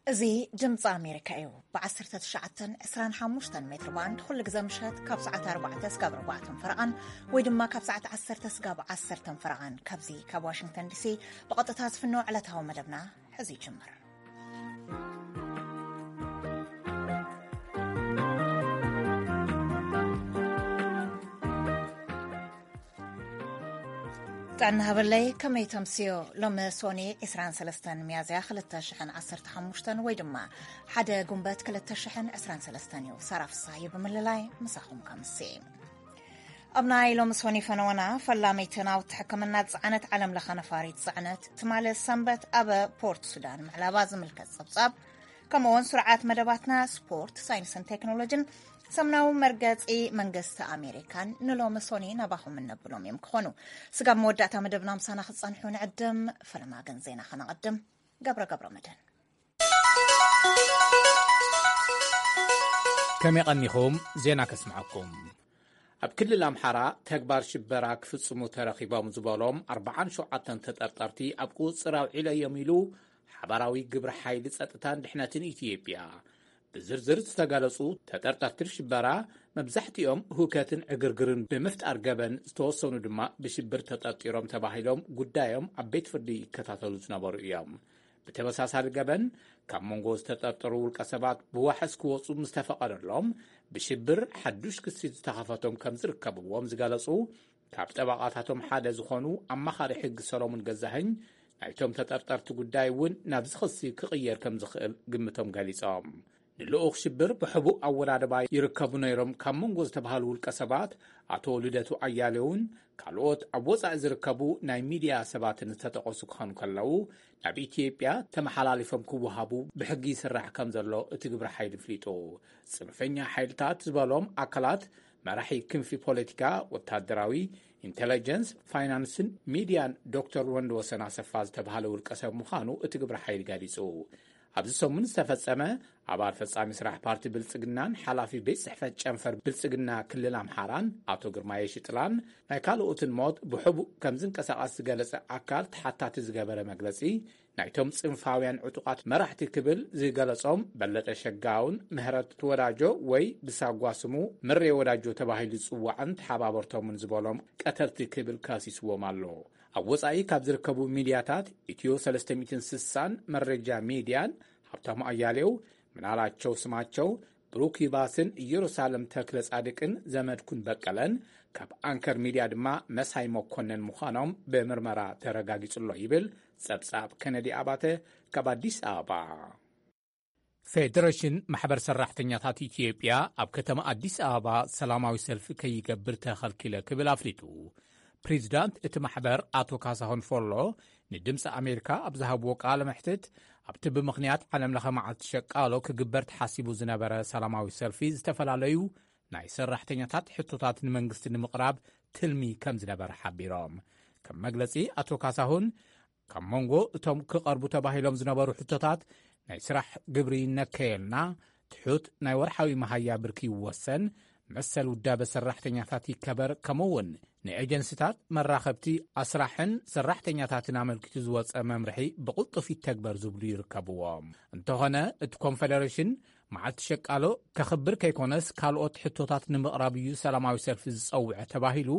እዚ ድምፂ ኣሜሪካ እዩ። ብ19፣ 25 ሜትር ባንድ ኩሉ ግዜ ምሸት ካብ ሰዓት ኣርባዕተ ስጋብ ኣርባዕተን ፈረቓን ወይ ድማ ካብ ሰዓት ዓሰርተ ስጋብ ዓሰርተን ፈረቓን ካብዚ ካብ ዋሽንግተን ዲሲ ብቐጥታ ዝፍኖ ዕለታዊ መደብና ሕዚ ይጅምር። ጥዕና ሃበለይ፣ ከመይ ተምስዮ? ሎሚ ሶኒ 23 ሚያዝያ 2015 ወይ ድማ ሓደ ጉንበት 2023 እዩ። ሳራ ፍሳሃየ ብምልላይ ምሳኹም ከምሲ። ኣብ ናይ ሎሚ ሶኒ ፈነወና፣ ፈላመይቲ ናውቲ ሕክምና ዝጸዓነት ዓለም ለኸ ነፋሪት ጽዕነት ትማሊ ሰንበት ኣብ ፖርት ሱዳን ምዕላባ ዝምልከት ጸብጻብ፣ ከምኡውን ስርዓት መደባትና ስፖርት፣ ሳይንስን ቴክኖሎጂን ሰሙናዊ መርገጺ መንግስቲ ኣሜሪካን ንሎሚ ሶኒ ናባኹም እነብሎም እዮም ክኾኑ። ስጋብ መወዳእታ መደብና ምሳና ክጸንሑ ንዕድም። ፈለማ ግን ዜና ከነቐድም። ገብረ ገብረ መድህን። ከመይ ቀኒኹም? ዜና ከስምዐኩም። ኣብ ክልል ኣምሓራ ተግባር ሽበራ ክፍጽሙ ተረኺቦም ዝበሎም ኣርባዓን ሸውዓተን ተጠርጠርቲ ኣብ ቁጽጽር ኣውዒለዮም ኢሉ ሓባራዊ ግብረ ሓይሊ ጸጥታን ድሕነትን ኢትዮጵያ። ብዝርዝር ዝተገለጹ ተጠርጠርቲ ሽበራ መብዛሕትኦም ህውከትን ዕግርግርን ብምፍጣር ገበን፣ ዝተወሰኑ ድማ ብሽብር ተጠርጢሮም ተባሂሎም ጉዳዮም ኣብ ቤት ፍርዲ ይከታተሉ ዝነበሩ እዮም። ብተመሳሳሊ ገበን ካብ መንጎ ዝተጠርጠሩ ውልቀ ሰባት ብዋሕስ ክወጹ ምስ ተፈቐደሎም ብሽብር ሓዱሽ ክሲ ዝተኸፈቶም ከም ዝርከብዎም ዝገለጹ ካብ ጠበቓታቶም ሓደ ዝኾኑ ኣማኻሪ ሕጊ ሰሎሙን ገዛኸኝ ናይቶም ተጠርጠርቲ ጉዳይ እውን ናብዚ ክሲ ክቕየር ከም ዝኽእል ግምቶም ገሊጾም። ንልኡኽ ሽብር ብሕቡእ ኣወዳድባ ይርከቡ ነይሮም ካብ መንጎ ዝተባሃሉ ውልቀ ሰባት ኣቶ ልደቱ ኣያሌውን ካልኦት ኣብ ወጻኢ ዝርከቡ ናይ ሚድያ ሰባትን ዝተጠቐሱ ክኾኑ ከለዉ፣ ናብ ኢትዮጵያ ተመሓላሊፎም ክወሃቡ ብሕጊ ይስራሕ ከም ዘሎ እቲ ግብረ ሓይሊ ኣፍሊጡ። ጽንፈኛ ሓይልታት ዝበሎም ኣካላት መራሒ ክንፊ ፖለቲካ፣ ወታደራዊ፣ ኢንተለጀንስ፣ ፋይናንስን ሚድያን ዶክተር ወንድወሰን ኣሰፋ ዝተባሃለ ውልቀ ሰብ ምዃኑ እቲ ግብረ ሓይሊ ገሊጹ። ኣብዚ ሰሙን ዝተፈጸመ ኣባል ፈጻሚ ስራሕ ፓርቲ ብልጽግናን ሓላፊ ቤት ጽሕፈት ጨንፈር ብልጽግና ክልል ኣምሓራን ኣቶ ግርማየ ሽጥላን ናይ ካልኦትን ሞት ብሕቡእ ከም ዝንቀሳቐስ ዝገለጸ ኣካል ተሓታቲ ዝገበረ መግለጺ፣ ናይቶም ጽንፋውያን ዕጡቓት መራሕቲ ክብል ዝገለጾም በለጠ ሸጋውን ምህረት ወዳጆ ወይ ብሳጓ ስሙ ምሬ ወዳጆ ተባሂሉ ዝጽዋዕን ተሓባበርቶምን ዝበሎም ቀተልቲ ክብል ከሲስዎም ኣሎ። ኣብ ወጻኢ ካብ ዝርከቡ ሚድያታት ኢትዮ 360ን መረጃ ሚድያን፣ ሃብታሙ ኣያሌው፣ ምናላቸው ስማቸው፣ ብሩክ ይባስን ኢየሩሳሌም ተክለ ጻድቅን ዘመድኩን በቀለን፣ ካብ ኣንከር ሚድያ ድማ መሳይ መኮነን ምዃኖም ብምርመራ ተረጋጊጹ ኣሎ ይብል ጸብጻብ ከነዲ ኣባተ ካብ ኣዲስ ኣበባ። ፌደሬሽን ማሕበር ሰራሕተኛታት ኢትዮጵያ ኣብ ከተማ ኣዲስ ኣበባ ሰላማዊ ሰልፊ ከይገብር ተኸልኪለ ክብል ኣፍሊጡ። ፕሬዚዳንት እቲ ማሕበር ኣቶ ካሳሁን ፎሎ ንድምፂ ኣሜሪካ ኣብ ዝሃብዎ ቃለ መሕትት፣ ኣብቲ ብምኽንያት ዓለም ለኸ መዓልቲ ሸቃሎ ክግበር ተሓሲቡ ዝነበረ ሰላማዊ ሰልፊ ዝተፈላለዩ ናይ ሰራሕተኛታት ሕቶታት ንመንግስቲ ንምቕራብ ትልሚ ከም ዝነበረ ሓቢሮም። ከም መግለጺ ኣቶ ካሳሁን፣ ካብ መንጎ እቶም ክቐርቡ ተባሂሎም ዝነበሩ ሕቶታት ናይ ስራሕ ግብሪ ይነከየልና፣ ትሑት ናይ ወርሓዊ መሃያ ብርኪ ይወሰን፣ መሰል ውዳበ ሰራሕተኛታት ይከበር፣ ከምኡውን ንኤጀንሲታት መራኸብቲ ኣስራሕን ሰራሕተኛታትን ኣመልኪቱ ዝወጸ መምርሒ ብቕልጡፍ ይተግበር ዝብሉ ይርከብዎም። እንተኾነ እቲ ኮንፈደሬሽን መዓልቲ ሸቃሎ ከኽብር ከይኮነስ ካልኦት ሕቶታት ንምቕራብ እዩ ሰላማዊ ሰልፊ ዝጸውዐ ተባሂሉ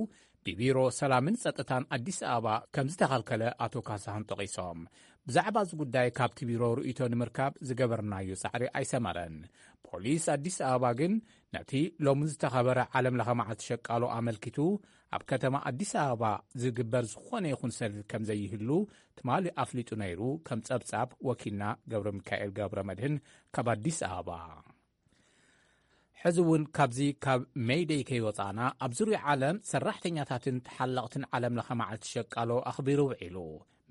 ብቢሮ ሰላምን ጸጥታን ኣዲስ ኣበባ ከም ዝተኸልከለ ኣቶ ካሳሁን ጠቒሶም። ብዛዕባ እዚ ጉዳይ ካብቲ ቢሮ ርእይቶ ንምርካብ ዝገበርናዮ ጻዕሪ ኣይሰመረን። ፖሊስ ኣዲስ ኣበባ ግን ነቲ ሎሚ ዝተኸበረ ዓለም ለኸ መዓልቲ ሸቃሎ ኣመልኪቱ ኣብ ከተማ ኣዲስ ኣበባ ዝግበር ዝኾነ ይኹን ሰልፊ ከም ዘይህሉ ትማሊ ኣፍሊጡ ነይሩ፣ ከም ጸብጻብ ወኪልና ገብረ ሚካኤል ገብረ መድህን ካብ ኣዲስ ኣበባ። ሕዚ እውን ካብዚ ካብ ሜይደይ ከይወጻና፣ ኣብ ዙርያ ዓለም ሰራሕተኛታትን ተሓለቕትን ዓለም ለኸ መዓልቲ ሸቃሎ ኣኽቢሩ ውዒሉ።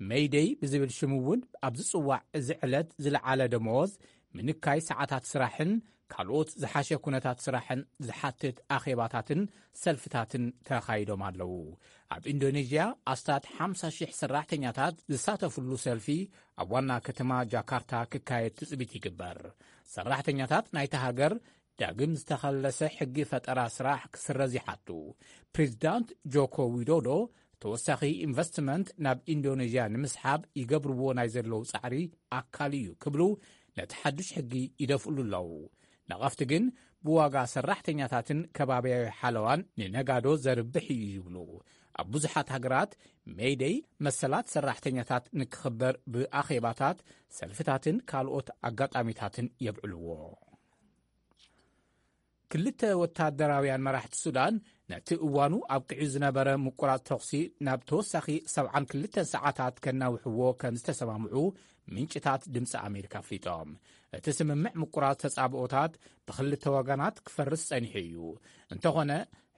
ሜይደይ ብዝብል ሽሙ እውን ኣብ ዝጽዋዕ እዚ ዕለት ዝለዓለ ደመወዝ፣ ምንካይ ሰዓታት ስራሕን ካልኦት ዝሓሸ ኩነታት ስራሕን ዝሓትት ኣኼባታትን ሰልፍታትን ተኻይዶም ኣለዉ። ኣብ ኢንዶኔዥያ ኣስታት ሓምሳ ሽሕ ሰራሕተኛታት ዝሳተፍሉ ሰልፊ ኣብ ዋና ከተማ ጃካርታ ክካየድ ትጽቢት ይግበር። ሰራሕተኛታት ናይታ ሃገር ዳግም ዝተኸለሰ ሕጊ ፈጠራ ስራሕ ክስረዝ ይሓቱ። ፕሬዚዳንት ጆኮ ዊዶዶ ተወሳኺ ኢንቨስትመንት ናብ ኢንዶኔዥያ ንምስሓብ ይገብርዎ ናይ ዘለዉ ጻዕሪ ኣካል እዩ ክብሉ ነቲ ሓዱሽ ሕጊ ይደፍእሉ ኣለዉ። ነቐፍቲ ግን ብዋጋ ሰራሕተኛታትን ከባብያዊ ሓለዋን ንነጋዶ ዘርብሕ እዩ ይብሉ። ኣብ ብዙሓት ሃገራት ሜይደይ መሰላት ሰራሕተኛታት ንክኽበር ብኣኼባታት፣ ሰልፍታትን ካልኦት ኣጋጣሚታትን የብዕልዎ። ክልተ ወታደራውያን መራሕቲ ሱዳን ነቲ እዋኑ ኣብቂዑ ዝነበረ ምቁራጽ ተኹሲ ናብ ተወሳኺ ሰብዓን ክልተን ሰዓታት ከናውሕዎ ከም ዝተሰማምዑ ምንጭታት ድምፂ ኣሜሪካ ኣፍሊጦም። እቲ ስምምዕ ምቁራጽ ተጻብኦታት ብክልተ ወገናት ክፈርስ ጸኒሑ እዩ። እንተኾነ፣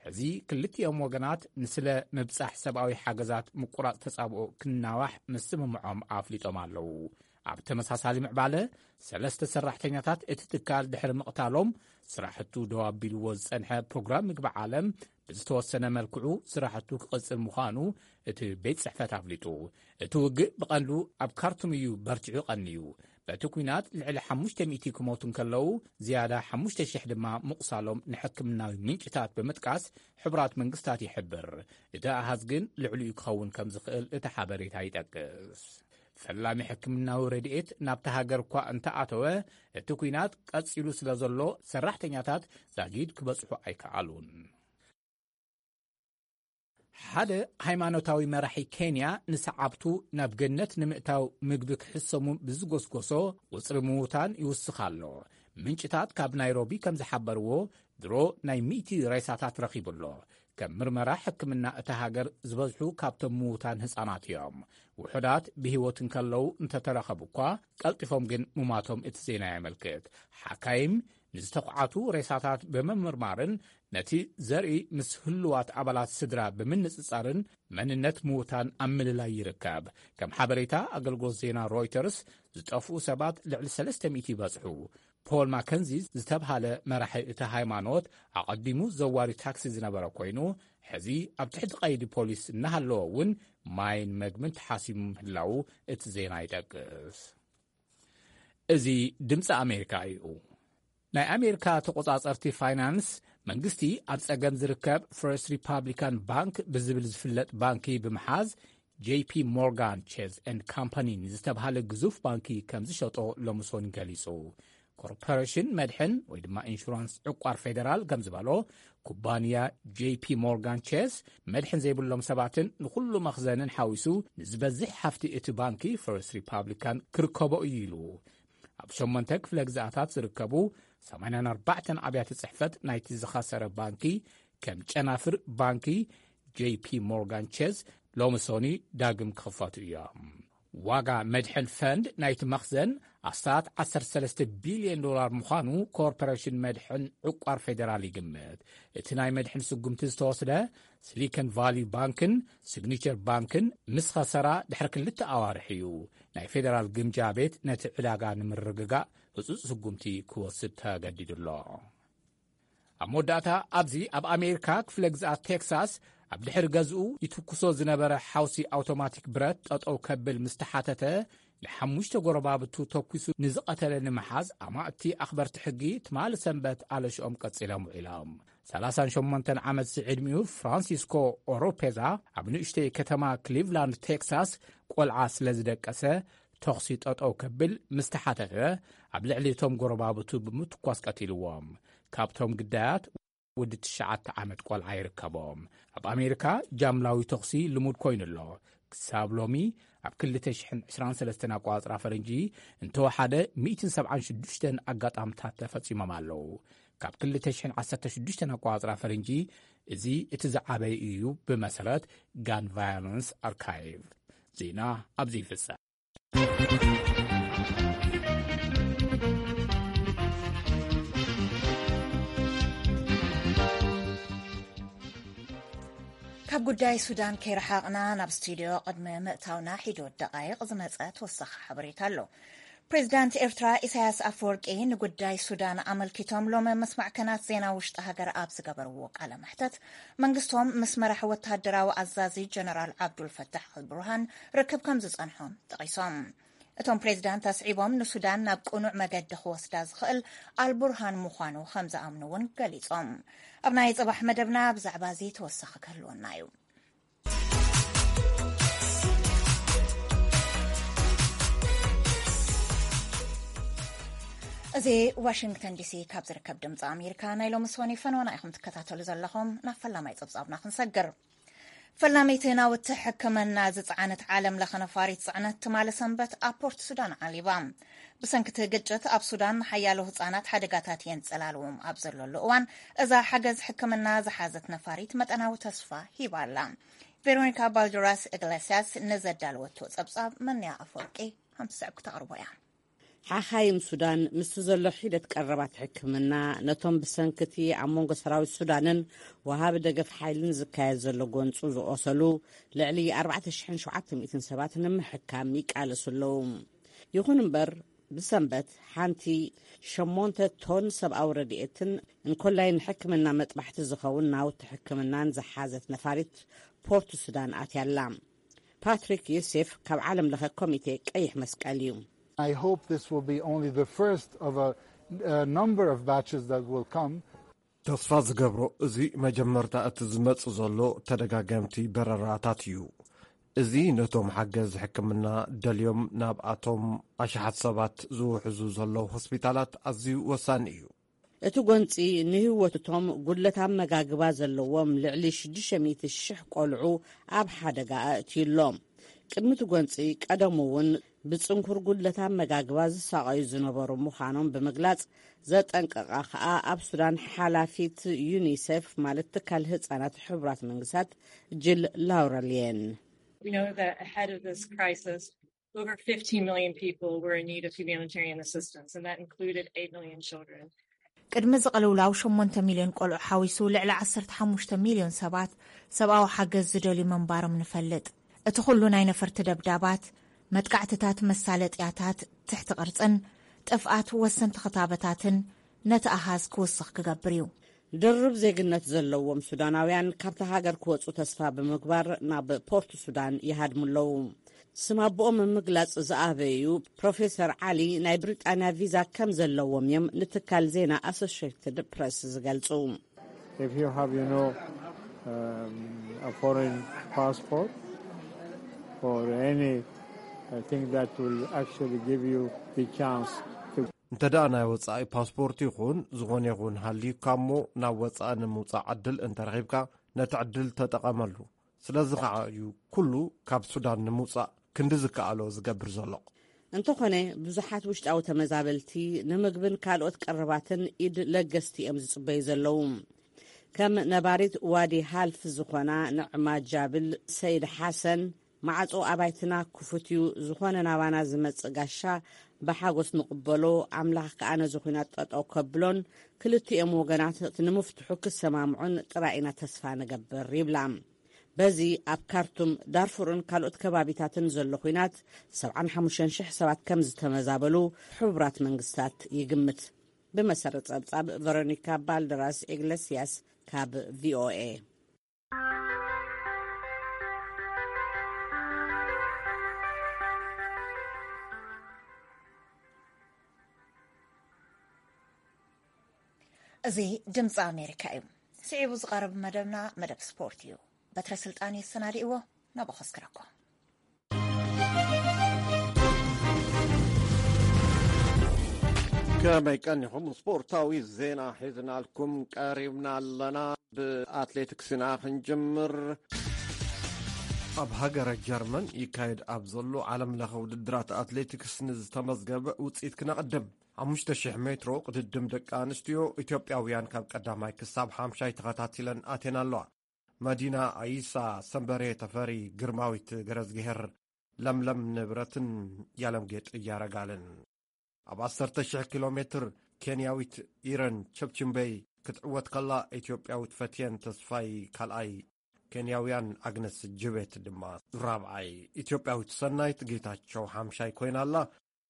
ሕዚ ክልቲኦም ወገናት ንስለ ምብጻሕ ሰብኣዊ ሓገዛት ምቁራጽ ተጻብኦ ክናዋሕ ምስምምዖም ኣፍሊጦም ኣለዉ። ኣብ ተመሳሳሊ ምዕባለ፣ ሰለስተ ሰራሕተኛታት እቲ ትካል ድሕሪ ምቕታሎም፣ ስራሕቱ ደው ኣቢልዎ ዝጸንሐ ፕሮግራም ምግቢ ዓለም ብዝተወሰነ መልክዑ ስራሕቱ ክቕጽል ምዃኑ እቲ ቤት ጽሕፈት ኣፍሊጡ። እቲ ውግእ ብቐንዱ ኣብ ካርቱም እዩ በርቲዑ ቀንዩ። በቲ ኲናት ልዕሊ ሓሙሽተ ሚእቲ ክሞቱ እንከለዉ፣ ዝያዳ ሓሙሽተ ሽሕ ድማ ምቑሳሎም ንሕክምናዊ ምንጭታት ብምጥቃስ ሕቡራት መንግስታት ይሕብር። እቲ ኣሃዝ ግን ልዕሊኡ ክኸውን ከም ዝኽእል እቲ ሓበሬታ ይጠቅስ። ፈላሚ ሕክምናዊ ረድኤት ናብታ ሃገር እኳ እንተኣተወ፣ እቲ ኲናት ቀጺሉ ስለ ዘሎ፣ ሰራሕተኛታት ዛጊድ ክበጽሑ ኣይከኣሉን። ሓደ ሃይማኖታዊ መራሒ ኬንያ ንሰዓብቱ ናብ ገነት ንምእታው ምግቢ ክሕሰሙ ብዝጎስጎሶ፣ ቁጽሪ ምዉታን ይውስኽ ኣሎ። ምንጭታት ካብ ናይሮቢ ከም ዝሓበርዎ፣ ድሮ ናይ ሚእቲ ሬሳታት ረኺቡ ኣሎ። ከም ምርመራ ሕክምና እታ ሃገር፣ ዝበዝሑ ካብቶም ምዉታን ህጻናት እዮም። ውሑዳት ብህይወት እንከለዉ እንተተረኸቡ እኳ፣ ቀልጢፎም ግን ምሟቶም እቲ ዜና የመልክት። ሓካይም ንዝተኹዓቱ ሬሳታት ብምምርማርን ነቲ ዘርኢ ምስ ህሉዋት ኣባላት ስድራ ብምንጽጻርን መንነት ምዉታን ኣብ ምልላይ ይርከብ። ከም ሓበሬታ ኣገልግሎት ዜና ሮይተርስ፣ ዝጠፍኡ ሰባት ልዕሊ ሰለስተ ሚእቲ ይበጽሑ። ፖል ማከንዚ ዝተብሃለ መራሒ እቲ ሃይማኖት፣ ኣቐዲሙ ዘዋሪ ታክሲ ዝነበረ ኮይኑ፣ ሕዚ ኣብ ትሕቲ ቀይዲ ፖሊስ እናሃለወ እውን፣ ማይን መግብን ተሓሲሙ ምህላዉ እቲ ዜና ይጠቅስ። እዚ ድምፂ ኣሜሪካ እዩ። ናይ ኣሜሪካ ተቆጻጸርቲ ፋይናንስ፣ መንግስቲ ኣብ ጸገም ዝርከብ ፈርስት ሪፓብሊካን ባንክ ብዝብል ዝፍለጥ ባንኪ ብምሓዝ፣ ጄ ፒ ሞርጋን ቼዝ ኤንድ ካምፓኒ ንዝተብሃለ ግዙፍ ባንኪ ከም ዝሸጦ ሎሚ ሰኑይ ገሊጹ። ኮርፖሬሽን መድሕን ወይ ድማ ኢንሹራንስ ዕቋር ፌደራል ከም ዝበሎ፣ ኩባንያ ጄ ፒ ሞርጋን ቼዝ፣ መድሕን ዘይብሎም ሰባትን ንኹሉ መኽዘንን ሓዊሱ ንዝበዝሕ ሃፍቲ እቲ ባንኪ ፈርስት ሪፓብሊካን ክርከቦ እዩ ኢሉ። ኣብ ሸሞንተ ክፍለ ግዝኣታት ዝርከቡ ሰማንያን ኣርባዕተን ኣብያተ ጽሕፈት ናይቲ ዝኸሰረ ባንኪ፣ ከም ጨናፍር ባንኪ ጄ ፒ ሞርጋን ቼዝ፣ ሎሚ ሰኑይ ዳግም ክኽፈቱ እዮም። ዋጋ መድሕን ፈንድ ናይቲ መኽዘን ኣስታት ዓሰርተ ሰለስተ ቢልዮን ዶላር ምዃኑ ኮርፖሬሽን መድሕን ዕቋር ፌደራል ይግምት። እቲ ናይ መድሕን ስጉምቲ ዝተወስደ፣ ሲሊኮን ቫሊ ባንክን ሲግኒቸር ባንክን ምስ ኸሰራ ድሕሪ ክልተ ኣዋርሕ እዩ። ናይ ፌደራል ግምጃ ቤት ነቲ ዕዳጋ ንምርግጋእ ህጹጽ ስጉምቲ ክወስድ ተገዲዱ ኣሎ። ኣብ መወዳእታ፣ ኣብዚ ኣብ ኣሜሪካ ክፍለ ግዝኣት ቴክሳስ፣ ኣብ ድሕሪ ገዝኡ ይትኩሶ ዝነበረ ሓውሲ ኣውቶማቲክ ብረት ጠጠው ከብል ምስ ተሓተተ፣ ንሓሙሽተ ጎረባብቱ ተኩሱ ንዝቐተለ ንምሓዝ፣ ኣማእቲ ኣኽበርቲ ሕጊ ትማሊ ሰንበት ኣለሽኦም ቀጺሎም ውዒሎም። ሰላሳን ሸሞንተን ዓመት ዝዕድሚኡ ፍራንሲስኮ ኦሮፔዛ፣ ኣብ ንእሽተይ ከተማ ክሊቭላንድ ቴክሳስ ቆልዓ ስለ ዝደቀሰ፣ ተኹሲ ጠጠው ከብል ምስ ተሓተተ፣ ኣብ ልዕሊ እቶም ጎረባብቱ ብምትኳስ ቀቲልዎም። ካብቶም ግዳያት፣ ወዲ ትሽዓተ ዓመት ቆልዓ ይርከቦም። ኣብ ኣሜሪካ ጃምላዊ ተኹሲ ልሙድ ኮይኑ ኣሎ። ክሳብ ሎሚ፣ ኣብ ክልተ ሽሕን ዕስራን ሰለስተን ኣቋጽራ ፈረንጂ፣ እንተወሓደ ሚእትን ሰብዓን ሽዱሽተን ኣጋጣምታት ተፈጺሞም ኣለዉ። ካብ ክልተ ሽሕን ዓሰርተ ሽዱሽተን ኣቋጽራ ፈረንጂ፣ እዚ እቲ ዝዓበየ እዩ፣ ብመሰረት ጋን ቫዮለንስ ኣርካይቭ። ዜና ኣብዚ ይፍጸም። ካብ ጉዳይ ሱዳን ከይረሓቕና፣ ናብ ስቱድዮ ቅድሚ ምእታውና፣ ሒዶ ደቓይቕ ዝመጸ ተወሳኺ ሓበሬታ ኣሎ። ፕሬዚዳንት ኤርትራ ኢሳያስ ኣፈወርቂ ንጉዳይ ሱዳን ኣመልኪቶም ሎሚ ምስ ማዕከናት ዜና ውሽጢ ሃገር ኣብ ዝገበርዎ ቃለ መሕተት፣ መንግስቶም ምስ መራሒ ወተሃደራዊ ኣዛዚ ጀነራል ዓብዱል ፈታሕ ኣልቡርሃን ርክብ ከም ዝጸንሖም ጠቒሶም። እቶም ፕሬዚዳንት ኣስዒቦም፣ ንሱዳን ናብ ቅኑዕ መገዲ ክወስዳ ዝኽእል ኣልቡርሃን ምዃኑ ከም ዝኣምኑ እውን ገሊጾም። ኣብ ናይ ጽባሕ መደብና ብዛዕባ እዚ ተወሳኺ ክህልወና እዩ። እዚ ዋሽንግተን ዲሲ ካብ ዝርከብ ድምፂ ኣሜሪካ ናይ ሎሚ ሰኒ ፈነወና ኢኹም ትከታተሉ ዘለኹም። ናብ ፈላማይ ፀብፃብና ክንሰግር። ፈላመይቲ ናውቲ ሕክምና ዝፀዓነት ዓለም ለኸ ነፋሪት ፅዕነት ትማሊ ሰንበት ኣብ ፖርት ሱዳን ዓሊባ። ብሰንክቲ ግጭት ኣብ ሱዳን ሓያሎ ህፃናት ሓደጋታት የንፀላልዎም ኣብ ዘለሉ እዋን፣ እዛ ሓገዝ ሕክምና ዝሓዘት ነፋሪት መጠናዊ ተስፋ ሂባ ኣላ። ቬሮኒካ ባልደራስ ኢግሌሲያስ ንዘዳለወቶ ጸብጻብ መንያ ኣፈወርቂ ሃምሳ ክተቕርቦ እያ። ሓኻይም ሱዳን ምስቲ ዘሎ ሒደት ቀረባት ሕክምና፣ ነቶም ብሰንክቲ ኣብ መንጎ ሰራዊት ሱዳንን ወሃቢ ደገፍ ሓይልን ዝካየድ ዘሎ ጎንጹ ዝቖሰሉ ልዕሊ ኣርባዕተ ሽሕን ሸውዓተ ሚእትን ሰባት ንምሕካም ይቃለሱ ኣለዉ። ይኹን እምበር፣ ብሰንበት ሓንቲ ሸሞንተ ቶን ሰብኣዊ ረድኤትን እንኮላይ ንሕክምና መጥባሕቲ ዝኸውን ናውቲ ሕክምናን ዝሓዘት ነፋሪት ፖርት ሱዳን ኣትያ ኣላ። ፓትሪክ ዮሴፍ ካብ ዓለም ለኸ ኮሚቴ ቀይሕ መስቀል እዩ። I hope this will be only the first of a, a number of batches that will come. ተስፋ ዝገብሮ እዚ መጀመርታ እቲ ዝመጽእ ዘሎ ተደጋገምቲ በረራታት እዩ። እዚ ነቶም ሓገዝ ሕክምና ደልዮም ናብኣቶም ኣሽሓት ሰባት ዝውሕዙ ዘለዉ ሆስፒታላት ኣዝዩ ወሳኒ እዩ። እቲ ጎንጺ ንህይወት እቶም ጉድለት ኣመጋግባ ዘለዎም ልዕሊ ሽዱሽተ ሚእቲ ሽሕ ቆልዑ ኣብ ሓደጋ ኣእትዩ ኣሎ። ቅድሚ እቲ ጎንጺ ቀደሙ እውን ብጽንኩር ጉድለት ኣመጋግባ ዝሳቐዩ ዝነበሩ ምዃኖም ብምግላጽ፣ ዘጠንቀቓ ከኣ ኣብ ሱዳን ሓላፊት ዩኒሴፍ ማለት ትካል ህጻናት ሕቡራት መንግስታት ጅል ላውረልየን። We know that ahead of this crisis, over fifteen million people were in need of humanitarian assistance, and that included eight million children. ቅድሚ ዝቕልውላው ሸሞንተ ሚልዮን ቆልዑ ሓዊሱ ልዕሊ ዓሰርተ ሓሙሽተ ሚልዮን ሰባት ሰብኣዊ ሓገዝ ዝደልዩ ምንባሮም ንፈልጥ። እቲ ኩሉ ናይ ነፈርቲ ደብዳባት፣ መጥቃዕትታት መሳለጥያታት ትሕቲ ቅርጽን ጥፍኣት ወሰንቲ ክታበታትን ነቲ ኣሃዝ ክውስኽ ክገብር እዩ። ድርብ ዜግነት ዘለዎም ሱዳናውያን ካብታ ሃገር ክወጹ ተስፋ ብምግባር ናብ ፖርት ሱዳን ይሃድሙ ኣለዉ። ስም ኣቦኦም ምግላጽ ዝኣበዩ ፕሮፌሰር ዓሊ ናይ ብሪጣንያ ቪዛ ከም ዘለዎም እዮም ንትካል ዜና ኣሶሽየትድ ፕረስ ዝገልጹ። If you have, you know, um, a foreign passport or any, I think that will actually give you the chance to እንተ ደኣ ናይ ወጻኢ ፓስፖርት ይኹን ዝኾነ ይኹን ሃልዩካ እሞ ናብ ወጻኢ ንምውጻእ ዕድል እንተረኺብካ ነቲ ዕድል ተጠቐመሉ። ስለዚ ኸዓ እዩ ኩሉ ካብ ሱዳን ንምውጻእ ክንዲ ዝከኣሎ ዝገብር ዘሎ። እንተኾነ ብዙሓት ውሽጣዊ ተመዛበልቲ ንምግብን ካልኦት ቀረባትን ኢድ ለገስቲ እዮም ዝጽበዩ ዘለዉ። ከም ነባሪት ዋዲ ሃልፍ ዝኾና ንዕማ ጃብል ሰይድ ሓሰን፣ ማዕጾ ኣባይትና ክፉት እዩ፣ ዝኾነ ናባና ዝመጽእ ጋሻ ብሓጎስ ንቕበሎ፣ ኣምላኽ ከኣ ነዚ ኹናት ጠጠው ከብሎን ክልቲኦም ወገናት እቲ ንምፍትሑ ክሰማምዑን ጥራይ ኢና ተስፋ ንገብር ይብላ። በዚ ኣብ ካርቱም፣ ዳርፉርን ካልኦት ከባቢታትን ዘሎ ኹናት ሰብዓን ሓሙሽተን ሽሕ ሰባት ከም ዝተመዛበሉ ሕቡራት መንግስታት ይግምት። ብመሰረት ጸብጻብ ቨሮኒካ ባልደራስ ኢግለስያስ ካብ ቪኦኤ። እዚ ድምፂ ኣሜሪካ እዩ። ስዒቡ ዝቐርብ መደብና መደብ ስፖርት እዩ። በትረ ስልጣን የሰናድእዎ፣ ናብኡ ከስክረኩም። ከመይ ቀኒኹም? ስፖርታዊ ዜና ሒዝናልኩም ቀሪብና ኣለና። ብኣትሌቲክስ ኢና ክንጅምር። ኣብ ሃገረ ጀርመን ይካየድ ኣብ ዘሎ ዓለም ለኸ ውድድራት ኣትሌቲክስ ንዝተመዝገበ ውፅኢት ክነቕድም። ሓሙሽተ ሺሕ ሜትሮ ቅድድም ደቂ ኣንስትዮ ኢትዮጵያውያን ካብ ቀዳማይ ክሳብ ሓምሻይ ተኸታቲለን ኣትየን ኣለዋ። መዲና ኣይሳ፣ ሰንበሬ ተፈሪ፣ ግርማዊት ገረዝግሄር፣ ለምለም ንብረትን ያለምጌጥ እያረጋልን። ኣብ ዓሰርተ ሺሕ ኪሎ ሜትር ኬንያዊት ኢረን ቸፕችምበይ ክትዕወት ከላ፣ ኢትዮጵያዊት ፈትየን ተስፋይ ካልኣይ፣ ኬንያውያን ኣግነስ ጅቤት ድማ ራብዓይ፣ ኢትዮጵያዊት ሰናይት ጌታቸው ሓምሻይ ኮይና ኣላ።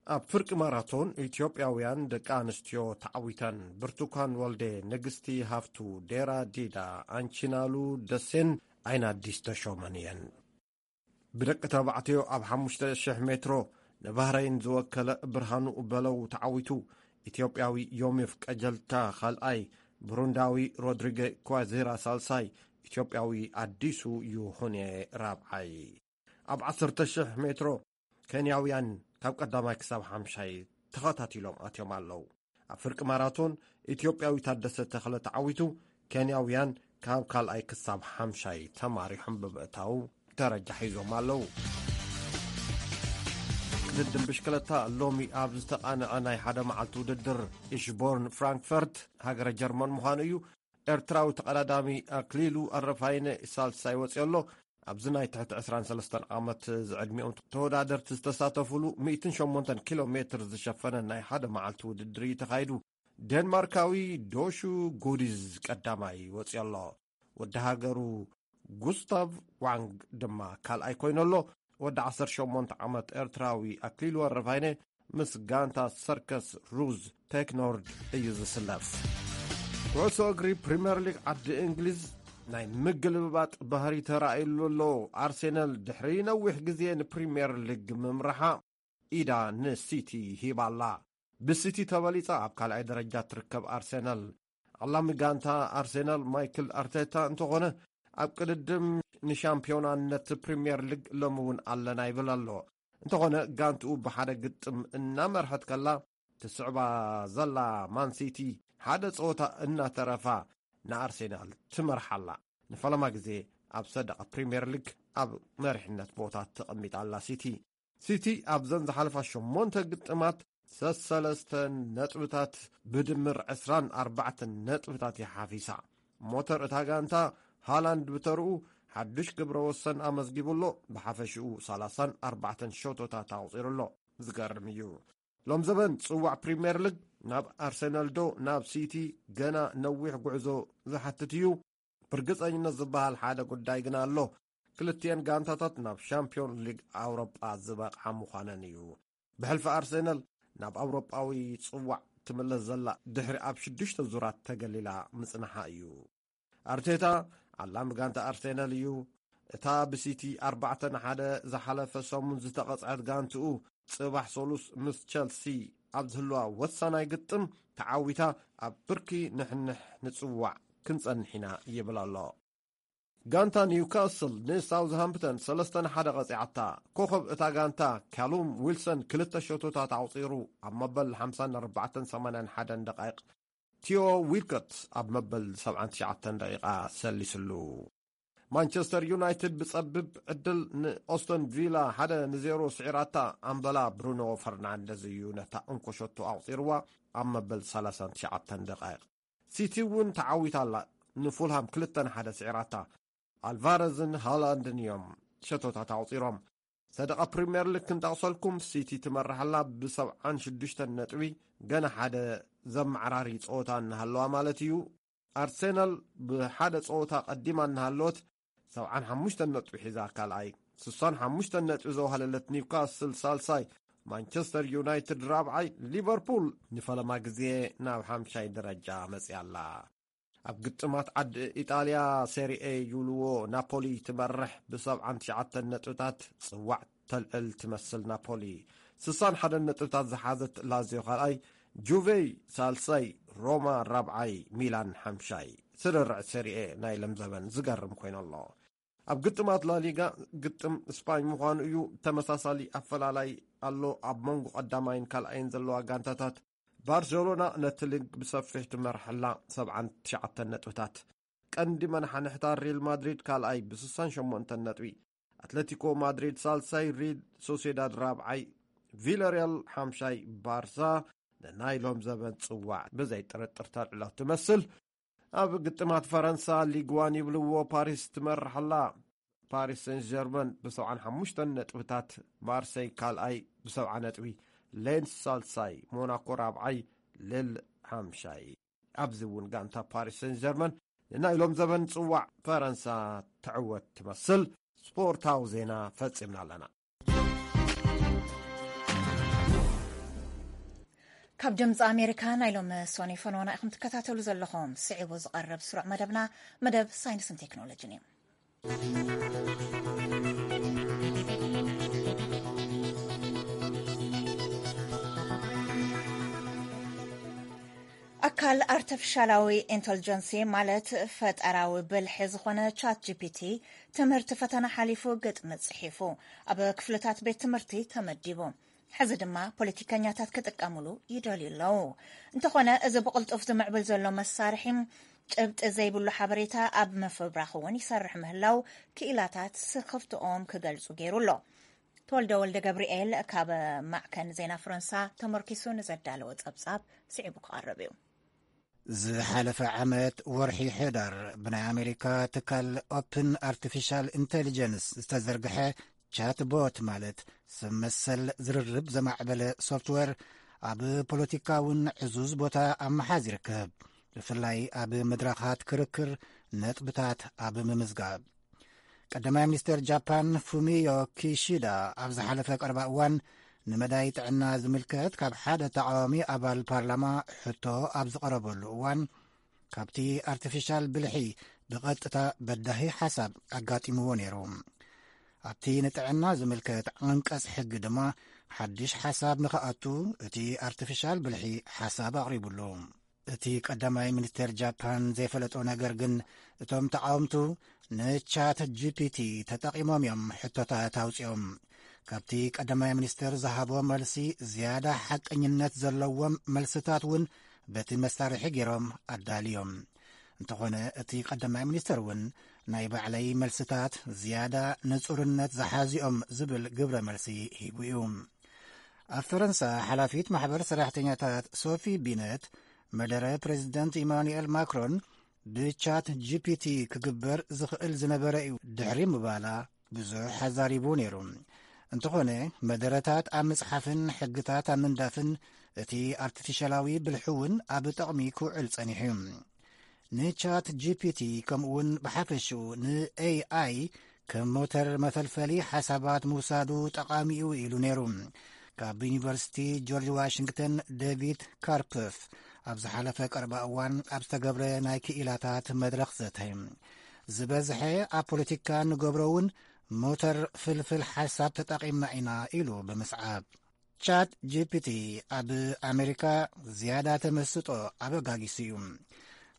ኣብ ፍርቂ ማራቶን ኢትዮጵያውያን ደቂ ኣንስትዮ ተዓዊተን። ብርቱካን ወልዴ፣ ንግስቲ ሃፍቱ፣ ዴራ ዲዳ፣ ኣንቺናሉ ደሴን ኣይናዲስ ተሾመን እየን። ብደቂ ተባዕትዮ ኣብ ሓሙሽተ ሺሕ ሜትሮ ንባህረይን ዝወከለ ብርሃኑ በለው ተዓዊቱ። ኢትዮጵያዊ ዮሚፍ ቀጀልታ ካልኣይ፣ ብሩንዳዊ ሮድሪገ ኳዜራ ሳልሳይ፣ ኢትዮጵያዊ ኣዲሱ ይኹኔ ራብዓይ። ኣብ ዓሰርተ ሺሕ ሜትሮ ኬንያውያን ካብ ቀዳማይ ክሳብ ሓምሻይ ተኸታቲሎም ኣትዮም ኣለዉ። ኣብ ፍርቂ ማራቶን ኢትዮጵያዊ ታደሰ ተኽለ ተዓዊቱ፣ ኬንያውያን ካብ ካልኣይ ክሳብ ሓምሻይ ተማሪሖም ብምእታው ደረጃ ሒዞም ኣለዉ። ቅድድም ብሽክለታ ሎሚ ኣብ ዝተቓንዐ ናይ ሓደ መዓልቲ ውድድር ኢሽቦርን ፍራንክፈርት ሃገረ ጀርመን ምዃኑ እዩ። ኤርትራዊ ተቐዳዳሚ ኣክሊሉ ኣረፋይነ ሳልሳይ ወፂኡ ኣሎ። ኣብዚ ናይ ትሕቲ ዕስራን ሰለስተን ዓመት ዝዕድሚኦም ተወዳደርቲ ዝተሳተፉሉ ሚእትን ሸሞንተን ኪሎ ሜትር ዝሸፈነ ናይ ሓደ መዓልቲ ውድድር እዩ ተኻይዱ። ዴንማርካዊ ዶሹ ጉዲዝ ቀዳማይ ወፂኡ ኣሎ። ወዲ ሃገሩ ጉስታቭ ዋንግ ድማ ካልኣይ ኮይኑ ኣሎ። ወዲ ዓሰርተ ሸሞንተ ዓመት ኤርትራዊ ኣክሊሉ ኣረፋይነ ምስ ጋንታ ሰርከስ ሩዝ ቴክኖርድ እዩ ዝስለፍ። ኩዕሶ እግሪ ፕሪምየር ሊግ ዓዲ እንግሊዝ ናይ ምግልብባጥ ባህሪ ተራእዩሉ ኣሎ። ኣርሴናል ድሕሪ ነዊሕ ግዜ ንፕሪምየር ሊግ ምምራሓ ኢዳ ንሲቲ ሂባ ኣላ። ብሲቲ ተበሊጻ ኣብ ካልኣይ ደረጃ ትርከብ ኣርሴናል፣ ዓላሚ ጋንታ ኣርሴናል ማይክል ኣርቴታ እንተኾነ፣ ኣብ ቅድድም ንሻምፒዮናነት ፕሪምየር ሊግ ሎሚ እውን ኣለና ይብል ኣሎ። እንተኾነ ጋንትኡ ብሓደ ግጥም እናመርሐት ከላ፣ ትስዕባ ዘላ ማንሲቲ ሓደ ጸወታ እናተረፋ ንኣርሴናል ትመርሓ ኣላ። ንፈለማ ግዜ ኣብ ሰደቓ ፕሪምየር ሊግ ኣብ መሪሕነት ቦታ ተቐሚጣ ኣላ ሲቲ። ሲቲ ኣብዘን ዝሓለፋ ሸሞንተ ግጥማት ሰሰለስተ ነጥብታት ብድምር ዕስራን ኣርባዕተን ነጥብታት ይሓፊሳ። ሞተር እታ ጋንታ ሃላንድ ብተርኡ ሓዱሽ ግብረ ወሰን ኣመዝጊቡ ኣሎ። ብሓፈሽኡ ሰላሳን ኣርባዕተን ሸቶታት ኣቑጺሩ ኣሎ። ዝገርም እዩ። ሎም ዘበን ጽዋዕ ፕሪምየር ሊግ ናብ ኣርሰናል ዶ ናብ ሲቲ ገና ነዊሕ ጉዕዞ ዝሓትት እዩ። ብርግጸኝነት ዝበሃል ሓደ ጉዳይ ግና ኣሎ። ክልቲኤን ጋንታታት ናብ ሻምፒዮን ሊግ ኣውሮጳ ዝበቕዓ ምዃነን እዩ። ብሕልፊ ኣርሰናል ናብ ኣውሮጳዊ ጽዋዕ ትምለስ ዘላ ድሕሪ ኣብ ሽዱሽተ ዙራት ተገሊላ ምጽንሓ እዩ። ኣርቴታ ዓላሚ ጋንታ ኣርሰናል እዩ። እታ ብሲቲ ኣርባዕተ ንሓደ ዝሓለፈ ሰሙን ዝተቐጽዐት ጋንትኡ፣ ጽባሕ ሰሉስ ምስ ቸልሲ ኣብ ዝህልዋ ወሳናይ ግጥም ተዓዊታ፣ ኣብ ብርኪ ንሕንሕ ንጽዋዕ ክንጸንሕ ኢና ይብል ኣሎ። ጋንታ ኒውካስል ንሳውዝሃምፕተን ሰለስተ ንሓደ ቀጺዓታ። ኮኸብ እታ ጋንታ ካሉም ዊልሰን ክልተ ሸቶታት ኣቑጺሩ፣ ኣብ መበል ሓምሳን ኣርባዕተን ሰማንያን ሓደን ደቃይቕ፣ ቲዮ ዊልኮት ኣብ መበል ሰብዓን ትሽዓተን ደቂቓ ሰሊስሉ። ማንቸስተር ዩናይትድ ብጸብብ ዕድል ንኦስተን ቪላ ሓደ ንዜሮ ስዒራታ። ኣምበላ ብሩኖ ፈርናንደዝ እዩ ነታ እንኮ ሸቶ ኣቑጺርዋ ኣብ መበል ሰላሳን ትሽዓተን ደቃይቕ። ሲቲ እውን ተዓዊታ ኣላ፣ ንፉልሃም ክልተ ንሓደ ስዒራታ። ኣልቫረዝን ሃላንድን እዮም ሸቶታት ኣቑጺሮም። ሰደቓ ፕሪምየር ሊግ ክንጠቕሰልኩም፣ ሲቲ ትመርሕ ኣላ ብሰብዓን ሽዱሽተን ነጥቢ፣ ገና ሓደ ዘመዓራሪ ጸወታ እናሃለዋ ማለት እዩ። ኣርሴናል ብሓደ ጸወታ ቀዲማ እናሃለወት ሰብዓን ሓሙሽተን ነጥቢ ሒዛ ካልኣይ፣ ስሳን ሓሙሽተን ነጥቢ ዘዋሃለለት ኒውካስል ሳልሳይ፣ ማንቸስተር ዩናይትድ ራብዓይ፣ ሊቨርፑል ንፈለማ ግዜ ናብ ሓምሻይ ደረጃ መጽያ ኣላ። ኣብ ግጥማት ዓዲ ኢጣልያ ሴሪኤ ዩልዎ ናፖሊ ትመርሕ ብሰብዓን ትሽዓተን ነጥብታት ጽዋዕ ተልዕል ትመስል ናፖሊ። ስሳን ሓደን ነጥብታት ዝሓዘት ላዚዮ ካልኣይ፣ ጁቬይ ሳልሳይ፣ ሮማ ራብዓይ፣ ሚላን ሓምሻይ። ስርርዕ ሴሪኤ ናይ ለምዘበን ዝገርም ኮይኑ ኣሎ። ኣብ ግጥማት ላሊጋ ግጥም ስፓኝ ምዃኑ እዩ። ተመሳሳሊ ኣፈላላይ ኣሎ ኣብ መንጎ ቀዳማይን ካልኣይን ዘለዋ ጋንታታት። ባርሴሎና ነቲ ሊግ ብሰፊሕ ትመርሐላ ሰብዓን ትሽዓተን ነጥብታት። ቀንዲ መናሓንሕታ ሪል ማድሪድ ካልኣይ ብስሳን ሸሞንተን ነጥቢ፣ ኣትለቲኮ ማድሪድ ሳልሳይ፣ ሪል ሶሴዳድ ራብዓይ፣ ቪላሪያል ሓምሻይ፣ ባርሳ ንናይ ሎም ዘበን ጽዋዕ ብዘይ ጥርጥር ተልዕሎ ትመስል። ኣብ ግጥማት ፈረንሳ ሊግዋን ይብልዎ ፓሪስ ትመርሕ ኣላ። ፓሪስ ሴን ጀርመን ብሰብዓን ሓሙሽተን ነጥብታት፣ ማርሴይ ካልኣይ ብሰብዓ ነጥቢ፣ ሌንስ ሳልሳይ፣ ሞናኮ ራብዓይ፣ ሌል ሓምሻይ። ኣብዚ እውን ጋንታ ፓሪስ ሴን ጀርመን ንናይ ሎም ዘበን ጽዋዕ ፈረንሳ ትዕወት ትመስል። ስፖርታዊ ዜና ፈጺምና ኣለና። ካብ ድምፂ ኣሜሪካ ናይ ሎም ሶኒ ፈነወና ኢኹም ትከታተሉ ዘለኹም። ስዒቡ ዝቐርብ ስሩዕ መደብና መደብ ሳይንስን ቴክኖሎጂን እዩ። ኣካል ኣርቲፊሻላዊ ኢንተልጀንሲ ማለት ፈጠራዊ ብልሒ ዝኾነ ቻት ጂ ፒ ቲ ትምህርቲ ፈተና ሓሊፉ ግጥሚ ጽሒፉ ኣብ ክፍልታት ቤት ትምህርቲ ተመዲቡ። ሕዚ ድማ ፖለቲከኛታት ክጥቀምሉ ይደልዩ ኣለዉ። እንተኾነ፣ እዚ ብቕልጡፍ ዝምዕብል ዘሎ መሳርሒ፣ ጭብጢ ዘይብሉ ሓበሬታ ኣብ ምፍብራኽ እውን ይሰርሕ ምህላው ክኢላታት ስኽፍትኦም ክገልጹ ገይሩ ኣሎ። ተወልደ ወልደ ገብርኤል ካብ ማዕከን ዜና ፈረንሳ ተመርኪሱ ንዘዳለወ ጸብጻብ ስዒቡ ክቐርብ እዩ። ዝሓለፈ ዓመት ወርሒ ሕዳር ብናይ ኣሜሪካ ትካል ኦፕን ኣርቲፊሻል ኢንቴሊጀንስ ዝተዘርግሐ ቻትቦት፣ ማለት ሰብ መሰል ዝርርብ ዘማዕበለ ሶፍትዌር፣ ኣብ ፖለቲካውን ዕዙዝ ቦታ ኣብ ምሓዝ ይርከብ፣ ብፍላይ ኣብ መድረኻት ክርክር ነጥብታት ኣብ ምምዝጋብ። ቀዳማይ ሚኒስተር ጃፓን ፉሚዮ ኪሺዳ ኣብ ዝሓለፈ ቀረባ እዋን ንመዳይ ጥዕና ዝምልከት ካብ ሓደ ተቃዋሚ ኣባል ፓርላማ ሕቶ ኣብ ዝቐረበሉ እዋን፣ ካብቲ ኣርቲፊሻል ብልሒ ብቐጥታ በዳሂ ሓሳብ ኣጋጢምዎ ነይሩ። ኣብቲ ንጥዕና ዝምልከት ዓንቀጽ ሕጊ ድማ ሓድሽ ሓሳብ ንኽኣቱ እቲ ኣርቲፊሻል ብልሒ ሓሳብ ኣቕሪቡሉ። እቲ ቀዳማይ ሚኒስተር ጃፓን ዘይፈለጦ ነገር ግን፣ እቶም ተቃወምቱ ንቻት ጂ ፒ ቲ ተጠቒሞም እዮም ሕቶታት ኣውጺኦም። ካብቲ ቀዳማይ ሚኒስተር ዝሃቦ መልሲ ዝያዳ ሓቀኝነት ዘለዎም መልስታት እውን በቲ መሳርሒ ገይሮም ኣዳልዮም። እንተኾነ፣ እቲ ቀዳማይ ሚኒስተር እውን ናይ ባዕለይ መልስታት ዝያዳ ንጹርነት ዝሓዚኦም ዝብል ግብረ መልሲ ሂቡ እዩ። ኣብ ፈረንሳ፣ ሓላፊት ማሕበር ሰራሕተኛታት ሶፊ ቢነት፣ መደረ ፕሬዚደንት ኢማኑኤል ማክሮን ብቻት ጂ ፒ ቲ ክግበር ዝኽእል ዝነበረ እዩ ድሕሪ ምባላ ብዙሕ ኣዛሪቡ ነይሩ። እንተኾነ፣ መደረታት ኣብ ምጽሓፍን ሕግታት ኣብ ምንዳፍን እቲ ኣርቲፊሻላዊ ብልሒ እውን ኣብ ጥቕሚ ክውዕል ጸኒሑ እዩ። ንቻት ጂ ፒ ቲ ከምኡውን ብሓፈሽኡ ን ኤ ኣይ ከም ሞተር መፈልፈሊ ሓሳባት ምውሳዱ ጠቓሚ እዩ ኢሉ ነይሩ። ካብ ዩኒቨርሲቲ ጆርጅ ዋሽንግተን ዴቪድ ካርፕፍ ኣብ ዝሓለፈ ቀረባ እዋን ኣብ ዝተገብረ ናይ ክኢላታት መድረኽ ዘተ፣ ዝበዝሐ ኣብ ፖለቲካ ንገብሮ እውን ሞተር ፍልፍል ሓሳብ ተጠቒምና ኢና ኢሉ ብምስዓብ። ቻት ጂ ፒ ቲ ኣብ ኣሜሪካ ዝያዳ ተመስጦ ኣበጋጊሱ እዩ።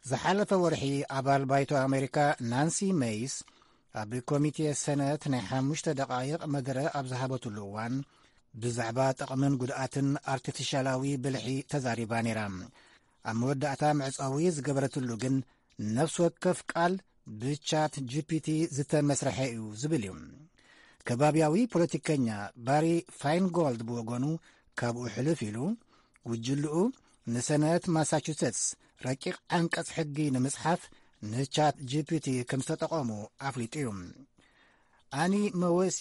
ዝሓለፈ ወርሒ ኣባል ባይቶ ኣሜሪካ ናንሲ ሜይስ ኣብ ኮሚቴ ሰነት ናይ ሓሙሽተ ደቓይቕ መደረ ኣብ ዝሃበትሉ እዋን፣ ብዛዕባ ጥቕምን ጉድኣትን ኣርቲፊሻላዊ ብልሒ ተዛሪባ ነይራ። ኣብ መወዳእታ መዕጸዊ ዝገበረትሉ ግን፣ ነፍሲ ወከፍ ቃል ብቻት ጂ ፒ ቲ ዝተመስርሐ እዩ ዝብል እዩ። ከባብያዊ ፖለቲከኛ ባሪ ፋይንጎልድ ብወገኑ፣ ካብኡ ሕልፍ ኢሉ፣ ጉጅልኡ ንሰነት ማሳቹሴትስ ረቂቕ ዓንቀጽ ሕጊ ንምጽሓፍ ንቻት ጂ ፒ ቲ ከም ዝተጠቐሙ ኣፍሊጡ እዩ። ኣኒ መወሲ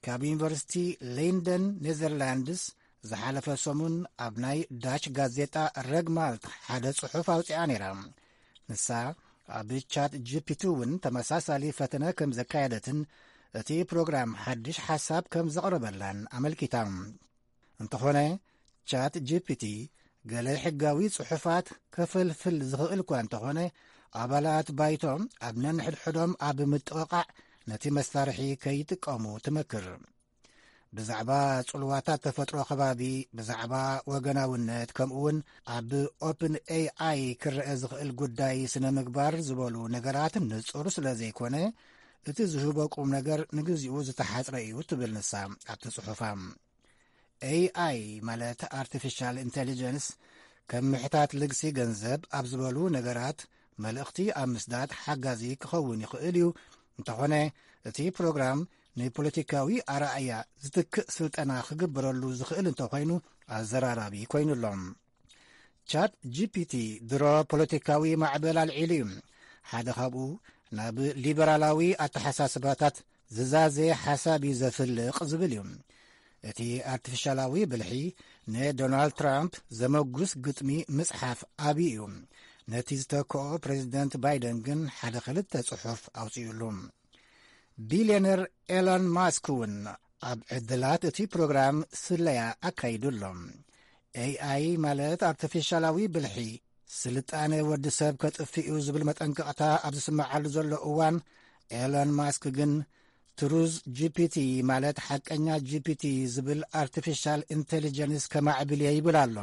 ካብ ዩኒቨርሲቲ ሌንደን ኔዘርላንድስ ዝሓለፈ ሰሙን ኣብ ናይ ዳች ጋዜጣ ረግማልት ሓደ ጽሑፍ ኣውጺኣ ነይራ። ንሳ ኣብ ቻት ጂ ፒ ቲ እውን ተመሳሳሊ ፈተነ ከም ዘካየደትን እቲ ፕሮግራም ሓድሽ ሓሳብ ከም ዘቕረበላን ኣመልኪታ። እንተኾነ፣ ቻት ጂ ፒ ቲ ገለ ሕጋዊ ጽሑፋት ከፈልፍል ዝኽእል እኳ እንተኾነ፣ ኣባላት ባይቶ ኣብ ነንሕድሕዶም ኣብ ምጥቕቓዕ ነቲ መሳርሒ ከይጥቀሙ ትመክር። ብዛዕባ ጽልዋታት ተፈጥሮ ከባቢ፣ ብዛዕባ ወገናውነት፣ ከምኡውን ኣብ ኦፕን ኤ ኣይ ክረአ ዝኽእል ጉዳይ ስነ ምግባር ዝበሉ ነገራት ንጹር ስለ ዘይኮነ፣ እቲ ዝህቦ ቁም ነገር ንግዚኡ ዝተሓጽረ እዩ ትብል ንሳ ኣብቲ ጽሑፋ። ኤ ኣይ ማለት ኣርቲፊሻል ኢንቴሊጀንስ ከም ምሕታት ልግሲ ገንዘብ ኣብ ዝበሉ ነገራት መልእኽቲ ኣብ ምስዳድ ሓጋዚ ክኸውን ይኽእል እዩ። እንተኾነ፣ እቲ ፕሮግራም ንፖለቲካዊ ኣረኣእያ ዝትክእ ስልጠና ክግበረሉ ዝኽእል እንተኾይኑ ኣዘራራቢ ኮይኑ ኣሎ። ቻት ጂ ፒ ቲ ድሮ ፖለቲካዊ ማዕበል ኣልዒሉ እዩ። ሓደ ካብኡ ናብ ሊበራላዊ ኣተሓሳስባታት ዝዛዘየ ሓሳብ እዩ ዘፍልቕ ዝብል እዩ። እቲ ኣርቲፊሻላዊ ብልሒ ንዶናልድ ትራምፕ ዘመጉስ ግጥሚ ምጽሓፍ ኣብዩ እዩ። ነቲ ዝተክኦ ፕሬዚደንት ባይደን ግን ሓደ ክልተ ጽሑፍ ኣውጺኡሉ። ቢልዮነር ኤሎን ማስክ እውን ኣብ ዕድላት እቲ ፕሮግራም ስለያ ኣካይዱ ኣሎ። ኤ ኣይ ማለት ኣርቲፊሻላዊ ብልሒ፣ ስልጣነ ወዲ ሰብ ከጥፍእ እዩ ዝብል መጠንቀቕታ ኣብ ዝስምዓሉ ዘሎ እዋን፣ ኤሎን ማስክ ግን ትሩዝ ጂ ፒ ቲ ማለት ሓቀኛ ጂ ፒ ቲ ዝብል ኣርቲፊሻል ኢንቴሊጀንስ ከማዕብል እየ ይብል ኣሎ።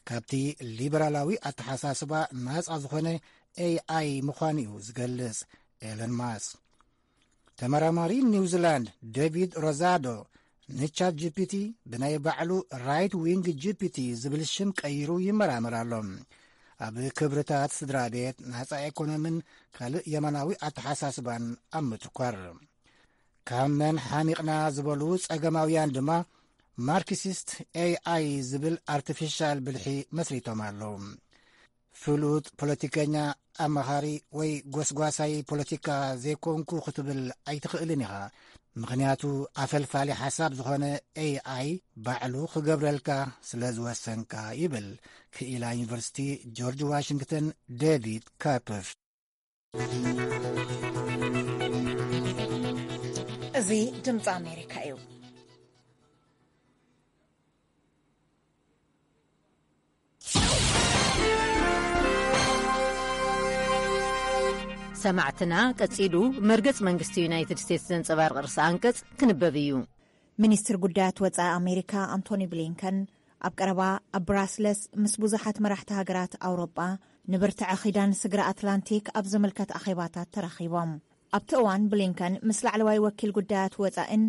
ካብቲ ሊበራላዊ ኣተሓሳስባ ናጻ ዝኾነ ኤ ኣይ ምዃኑ እዩ ዝገልጽ ኤሎን ማስክ። ተመራማሪ ኒውዚላንድ ዴቪድ ሮዛዶ ንቻት ጂ ፒ ቲ ብናይ ባዕሉ ራይት ዊንግ ጂ ፒ ቲ ዝብል ሽም ቀይሩ ይመራመር ኣሎ። ኣብ ክብርታት ስድራ ቤት፣ ናጻ ኤኮኖምን ካልእ የማናዊ ኣተሓሳስባን ኣብ ምትኳር፣ ካብ መን ሓሚቕና ዝበሉ ጸገማውያን ድማ ማርክሲስት ኤ ኣይ ዝብል ኣርቲፊሻል ብልሒ መስሪቶም ኣለዉ። ፍሉጥ ፖለቲከኛ፣ ኣማኻሪ ወይ ጎስጓሳይ ፖለቲካ ዘይኮንኩ ክትብል ኣይትኽእልን ኢኻ። ምኽንያቱ ኣፈልፋሊ ሓሳብ ዝኾነ ኤ ኣይ ባዕሉ ክገብረልካ ስለ ዝወሰንካ፣ ይብል ክኢላ ዩኒቨርሲቲ ጆርጅ ዋሽንግተን ዴቪድ ካፕፍ። እዚ ድምፂ ኣሜሪካ እዩ። ሰማዕትና፣ ቀጺሉ መርገጽ መንግስቲ ዩናይትድ ስቴትስ ዘንጸባርቕ ርእሰ ኣንቀጽ ክንበብ እዩ። ሚኒስትር ጉዳያት ወጻኢ ኣሜሪካ ኣንቶኒ ብሊንከን ኣብ ቀረባ ኣብ ብራስለስ ምስ ብዙሓት መራሕቲ ሃገራት ኣውሮጳ ንብርትዐ ኪዳን ስግረ ኣትላንቲክ ኣብ ዝምልከት ኣኼባታት ተራኺቦም። ኣብቲ እዋን ብሊንከን ምስ ላዕለዋይ ወኪል ጉዳያት ወጻኢን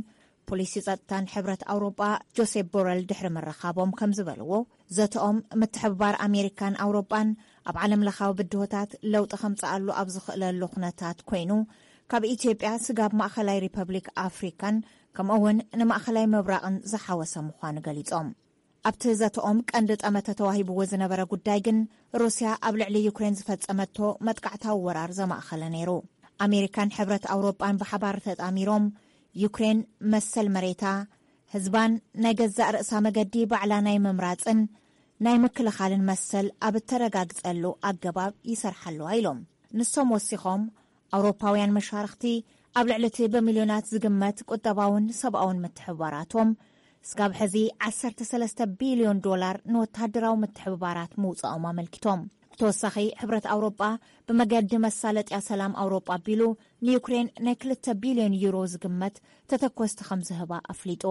ፖሊሲ ጸጥታን ሕብረት ኣውሮጳ ጆሴፕ ቦረል ድሕሪ ምርኻቦም ከም ዝበልዎ፣ ዘተኦም ምትሕብባር ኣሜሪካን ኣውሮጳን ኣብ ዓለም ለኻዊ ብድሆታት ለውጢ ከምጽኣሉ ኣብ ዝኽእለሉ ኩነታት ኮይኑ፣ ካብ ኢትዮጵያ ስጋብ ማእኸላይ ሪፐብሊክ ኣፍሪካን ከምኡ እውን ንማእኸላይ ምብራቕን ዝሓወሰ ምዃኑ ገሊጾም። ኣብቲ ዘተኦም ቀንዲ ጠመተ ተዋሂብዎ ዝነበረ ጉዳይ ግን፣ ሩስያ ኣብ ልዕሊ ዩክሬን ዝፈጸመቶ መጥቃዕታዊ ወራር ዘማእኸለ ነይሩ። ኣሜሪካን ሕብረት ኣውሮጳን ብሓባር ተጣሚሮም፣ ዩክሬን መሰል መሬታ፣ ህዝባን ናይ ገዛእ ርእሳ መገዲ ባዕላ ናይ ምምራጽን ናይ ምክልኻልን መሰል ኣብ እተረጋግጸሉ ኣገባብ ይሰርሓ ኣለዋ ኢሎም። ንሶም ወሲኾም፣ ኣውሮፓውያን መሻርኽቲ ኣብ ልዕሊ እቲ ብሚልዮናት ዝግመት ቁጠባውን ሰብኣውን ምትሕብባራቶም፣ ስጋብ ሕዚ ዓሰርተ ሰለስተ ቢልዮን ዶላር ንወተሃደራዊ ምትሕብባራት ምውጻኦም ኣመልኪቶም። ብተወሳኺ፣ ሕብረት ኣውሮጳ ብመገዲ መሳለጥያ ሰላም ኣውሮጳ ኣቢሉ ንዩክሬን ናይ ክልተ ቢልዮን ዩሮ ዝግመት ተተኮስቲ ከም ዝህባ ኣፍሊጡ።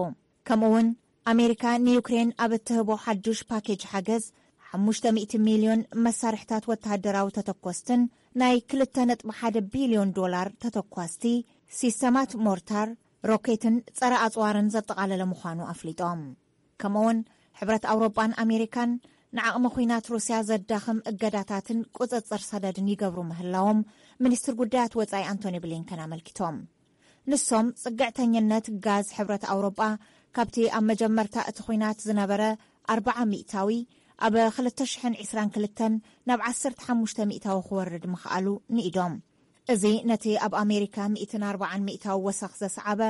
ከምኡ እውን፣ ኣሜሪካ ንዩክሬን ኣብ እትህቦ ሓዱሽ ፓኬጅ ሓገዝ ሓሙሽተ ሚእቲ ሚልዮን መሳርሕታት ወተሃደራዊ ተተኮስትን ናይ ክልተ ነጥቢ ሓደ ቢልዮን ዶላር ተተኳስቲ ሲስተማት ሞርታር፣ ሮኬትን ጸረ ኣጽዋርን ዘጠቓለለ ምዃኑ ኣፍሊጦም። ከምኡውን ሕብረት ኣውሮጳን ኣሜሪካን ንዓቕሚ ኲናት ሩስያ ዘዳኽም እገዳታትን ቁጽጽር ሰደድን ይገብሩ ምህላዎም ሚኒስትር ጉዳያት ወጻኢ ኣንቶኒ ብሊንከን ኣመልኪቶም። ንሶም፣ ጽግዕተኝነት ጋዝ ሕብረት ኣውሮጳ ካብቲ ኣብ መጀመርታ እቲ ኲናት ዝነበረ ኣርብዓ ሚእታዊ ኣብ ክልተ ሽሕን ዕስራን ክልተን ናብ ዓሰርተ ሓሙሽተ ሚእታዊ ክወርድ ምኽኣሉ ንኢዶም። እዚ ነቲ ኣብ ኣሜሪካ ሚእትን ኣርባዓን ሚእታዊ ወሰኽ ዘስዓበ፣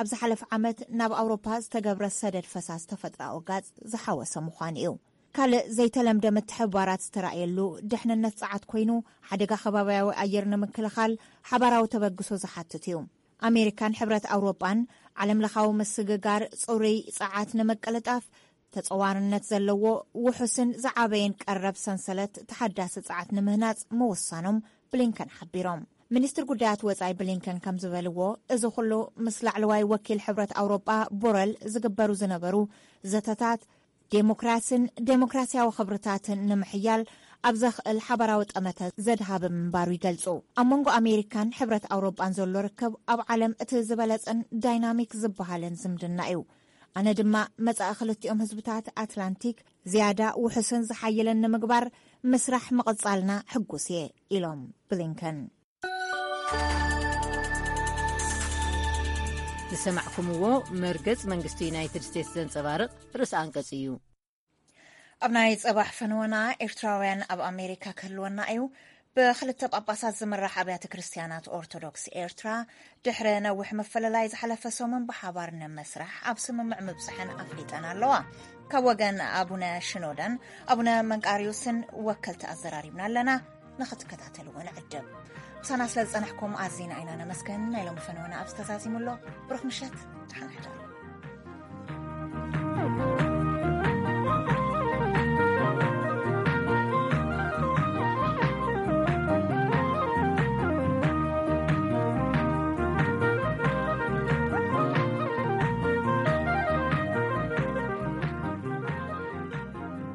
ኣብ ዝሓለፈ ዓመት ናብ ኣውሮፓ ዝተገብረ ሰደድ ፈሳስ ተፈጥሮኣዊ ጋዝ ዝሓወሰ ምዃኑ እዩ። ካልእ ዘይተለምደ ምትሕብባራት ዝተራእየሉ፣ ድሕንነት ጸዓት ኮይኑ፣ ሓደጋ ከባብያዊ ኣየር ንምክልኻል ሓባራዊ ተበግሶ ዝሓትት እዩ። ኣሜሪካን ሕብረት ኣውሮጳን ዓለምለኻዊ ምስግጋር ጽሩይ ጸዓት ንምቅልጣፍ፣ ተጸዋርነት ዘለዎ፣ ውሑስን ዝዓበየን ቀረብ ሰንሰለት ተሓዳሲ ጸዓት ንምህናጽ ምውሳኖም ብሊንከን ሓቢሮም። ሚኒስትር ጉዳያት ወጻኢ ብሊንከን ከም ዝበልዎ፣ እዚ ኩሉ ምስ ላዕለዋይ ወኪል ሕብረት ኣውሮጳ ቦረል ዝግበሩ ዝነበሩ ዘተታት፣ ዴሞክራስን ዴሞክራሲያዊ ክብርታትን ንምሕያል ኣብ ዘኽእል ሓባራዊ ጠመተ ዘድሃበ ምንባሩ ይገልጹ። ኣብ መንጎ ኣሜሪካን ሕብረት ኣውሮጳን ዘሎ ርክብ ኣብ ዓለም እቲ ዝበለጸን ዳይናሚክ ዝበሃልን ዝምድና እዩ። ኣነ ድማ መጻኢ ክልቲኦም ህዝብታት ኣትላንቲክ ዝያዳ ውሑስን ዝሓየለን ንምግባር ምስራሕ ምቕጻልና ሕጉስ እየ፣ ኢሎም ብሊንከን። ዝሰማዕኩምዎ መርገጽ መንግስቲ ዩናይትድ ስቴትስ ዘንጸባርቕ ርእሰ ኣንቀጽ እዩ። ኣብ ናይ ጽባሕ ፈነወና፣ ኤርትራውያን ኣብ ኣሜሪካ ክህልወና እዩ። ብክልተ ጳጳሳት ዝምራሕ ኣብያተ ክርስትያናት ኦርቶዶክስ ኤርትራ ድሕሪ ነዊሕ ምፍልላይ ዝሓለፈ ሰሙን ብሓባር ንመስራሕ ኣብ ስምምዕ ምብጽሐን ኣፍሊጠን ኣለዋ። ካብ ወገን ኣቡነ ሽኖዳን ኣቡነ መንቃርዮስን ወከልቲ ኣዘራሪብና ኣለና። ንኽትከታተልዎ ንዕድም። ምሳና ስለ ዝጸናሕኩም ኣዚና ኢና ነመስገን። ናይ ሎሚ ፈነወና ኣብዚ ተዛዚሙ ኣሎ። ብሩኽ ምሸት፣ ደሓን ሕደሩ።